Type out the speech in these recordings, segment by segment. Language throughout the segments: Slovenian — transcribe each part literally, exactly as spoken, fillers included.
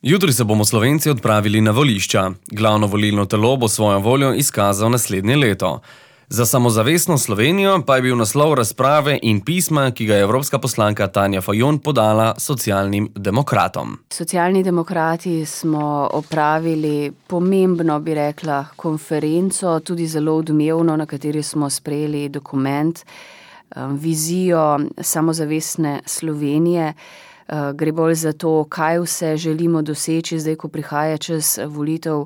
Jutri se bomo Slovenci odpravili na volišča. Glavno volilno telo bo svojo voljo izkazal naslednje leto. Za samozavestno Slovenijo pa je bil naslov razprave in pisma, ki ga je evropska poslanka Tanja Fajon podala socialnim demokratom. Socialni demokrati smo opravili pomembno, bi rekla, konferenco, tudi zelo odmevno, na kateri smo sprejeli dokument, vizijo samozavestne Slovenije. Gre bolj za to, kaj vse želimo doseči, zdaj, ko prihaja čas volitev.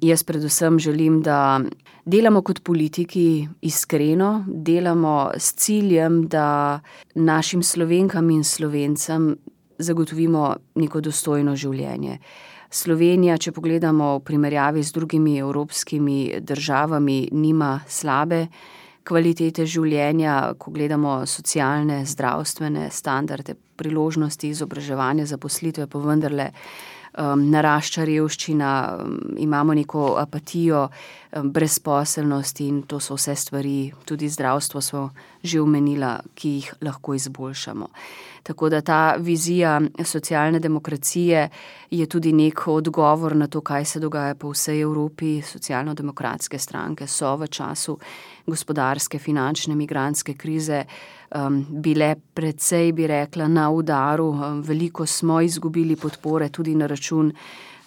Jaz predvsem želim, da delamo kot politiki iskreno, delamo s ciljem, da našim Slovenkam in Slovencem zagotovimo neko dostojno življenje. Slovenija, če pogledamo v primerjavi z drugimi evropskimi državami, nima slabe kvalitete življenja, ko gledamo socialne, zdravstvene standarde, priložnosti, izobraževanja, zaposlitve, pa vendarle um, narašča revščina, um, imamo neko apatijo, um, brezposelnost in to so vse stvari, tudi zdravstvo smo že omenila, ki jih lahko izboljšamo. Tako da ta vizija socialne demokracije je tudi nek odgovor na to, kaj se dogaja po vsej Evropi. Socialno-demokratske stranke so v času gospodarske, finančne, migrantske krize um, bile precej, bi rekla, na udaru. Um, veliko smo izgubili podpore tudi na račun,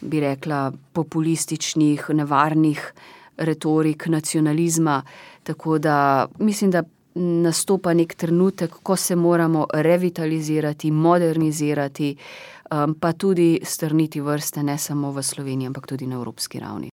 bi rekla, populističnih, nevarnih retorik, nacionalizma. Tako da mislim, da nastopa nek trenutek, ko se moramo revitalizirati, modernizirati, um, pa tudi strniti vrste ne samo v Sloveniji, ampak tudi na evropski ravni.